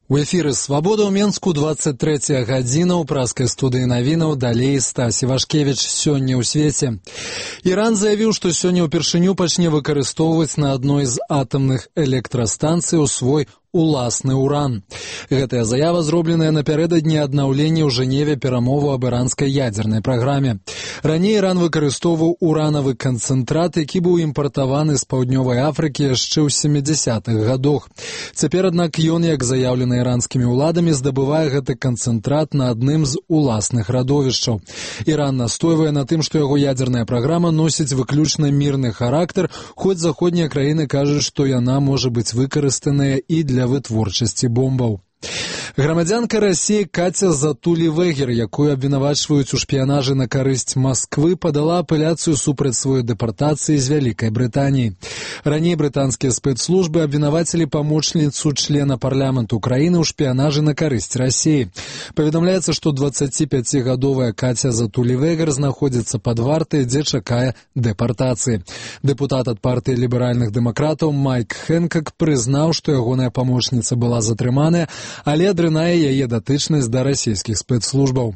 У эфіры «Свабода» ў Менску, 23 гадзіна, у праскай студыі навінаў, далей Стась Івашкевіч. Сёння ў свеце. Іран заявіў, што сёння ўпершыню пачне выкарыстоўваць на адной з атамных электрастанцый свой уласны уран. Гэтая заява зробленая напярэдадні аднаўлення ў Жэневе перамову аб іранскай ядзернай праграме. Раней Іран выкарыстоўваў уранавы канцэнтрат, які быў імпартаваны з Паўднёвай Афрыкі яшчэ ў 70-х гадах. Цяпер, аднак, ён, як заяўлена іранскімі ўладамі, здабывае гэты канцэнтрат на адным з уласных радовішчаў. Іран настойвае на тым, што яго ядзерная праграма носіць выключна мірны характар, хоць заходнія краіны кажуць, што яна можа быць выкарыстаная і для вытворчасці бомбаў. Грамадзянка Расіі Каця Затулі-Вегер, якую абвінавачваюць у шпіянажы на карысць Масквы, падала апеляцыю супраць сваёй дэпартацыі з Вялікай Брытаніі. Раней брытанскія спецслужбы абвінавацілі памочніцу члена парламенту краіны ў шпіянажы на карысць Расіі. Паведамляецца, што 25-гадовая Каця Затулі-Вегер знаходзіцца пад вартай, дзе чакае дэпартацыі. Дэпутат ад партыі ліберальных дэмакратаў Майк Хэнкак прызнаў, што ягоная памочніца была затрыманая, але адрынае яе датычнасць да расійскіх спецслужбаў.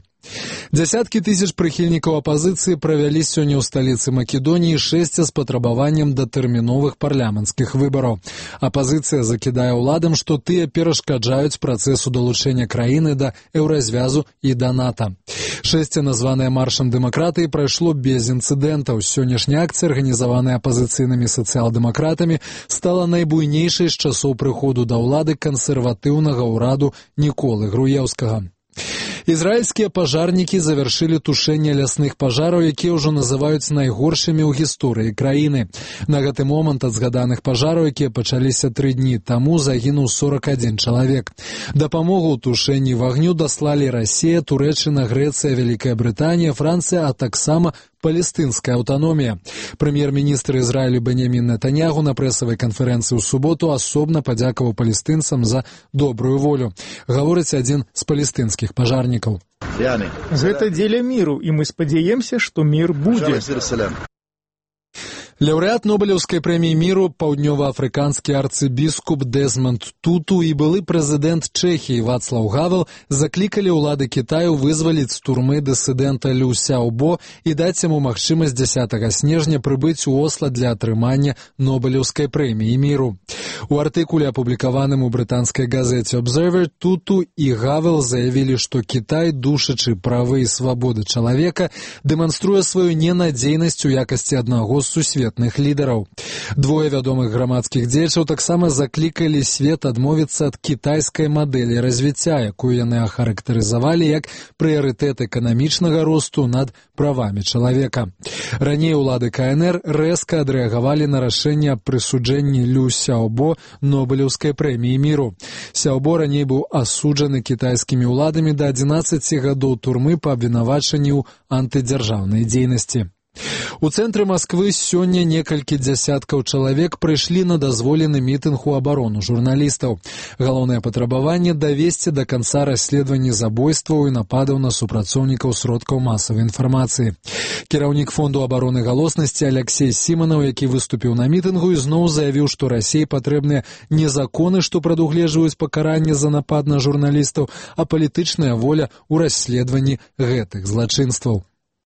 Дзясяткі тысяч прыхільнікаў апазіцыі правялі сёння ў сталіцы Македоніі шэсце з патрабаваннем датэрміновых парламенцкіх выбараў. Апазіцыя закідае ўладам, што тыя перашкаджаюць працэсу далучэння краіны да еўразвязу і да НАТО. Шэсце, названае маршам дэмакратыі, прайшло без інцыдэнтаў. Сённяшняя акцыя, арганізаваная апазіцыйнымі сацыял-дэмакратамі, стала найбуйнейшай з часоў прыходу да ўлады кансерватыўнага ўраду Ніколы Груеўскага. Ізраільскія пажарнікі завяршылі тушэнне лясных пажараў, якія ўжо называюць найгоршымі ў гісторыі краіны. На гэты момант ад згаданых пажараў, якія пачаліся 3 дні таму, загінуў 41 чалавек. Дапамогу ў тушэнні вагню даслалі Расія, Турэччына, Грэцыя, Вялікая Брытанія, Францыя, а таксама палестынская аўтаномія. Прэм'ер-міністр Ізраілю Беньямін Нетаньягу на прэсавай канферэнцыі ў суботу асобна падзякаваў палестынцам за добрую волю. Гаворыць адзін з палестынскіх пажарнікаў. Гэта дзеля міру, і мы спадзяемся, што мір будзе. Лаўрэат Нобелеўскай прэміі міру, паўднёваафрыканскі арцыбіскуп Дэзмонд Туту і былы прэзідэнт Чэхіі Вацлаў Гавел заклікалі ўлады Кітаю вызваліць з турмы дысідэнта Лю Сяобо і даць яму магчымасць 10 снежня прыбыць у Осла для атрымання Нобелеўскай прэміі міру. У артыкуле, апублікаваным у брытанскай газеце Observer, Туту і Гавел заявілі, што Кітай, душачы правы і свабоды чалавека, дэманструе сваю ненадзейнасць у якасці аднаго з сусветных лідараў. Двое вядомых грамадскіх дзеячаў таксама заклікалі свет адмовіцца ад кітайскай мадэлі развіцця, якую яны ахарактарызавалі як прыярытэт эканамічнага росту над правамі чалавека. Раней улады КНР рэзка адрэагавалі на рашэнне аб прысуджэнні Лю Сяобо Нобелеўскай прэміі міру. Сяобо раней быў асуджаны кітайскімі ўладамі да 11 гадоў турмы па абвінавачанні ў антыдзяржаўнай дзейнасці. У цэнтры Масквы сёння некалькі дзясяткаў чалавек прыйшлі на дазволены мітынг у абарону журналістаў. Галоўнае патрабаванне – давесці да канца расследаванні забойстваў і нападаў на супрацоўнікаў сродкаў масавай інфармацыі. Кіраўнік фонду абароны галоснасці Аляксей Сіманаў, які выступіў на мітынгу, ізноў заявіў, што Расіі патрэбныя не законы, што прадугледжваюць пакаранне за напад на журналістаў, а палітычная воля ў расследаванні гэтых злачынстваў.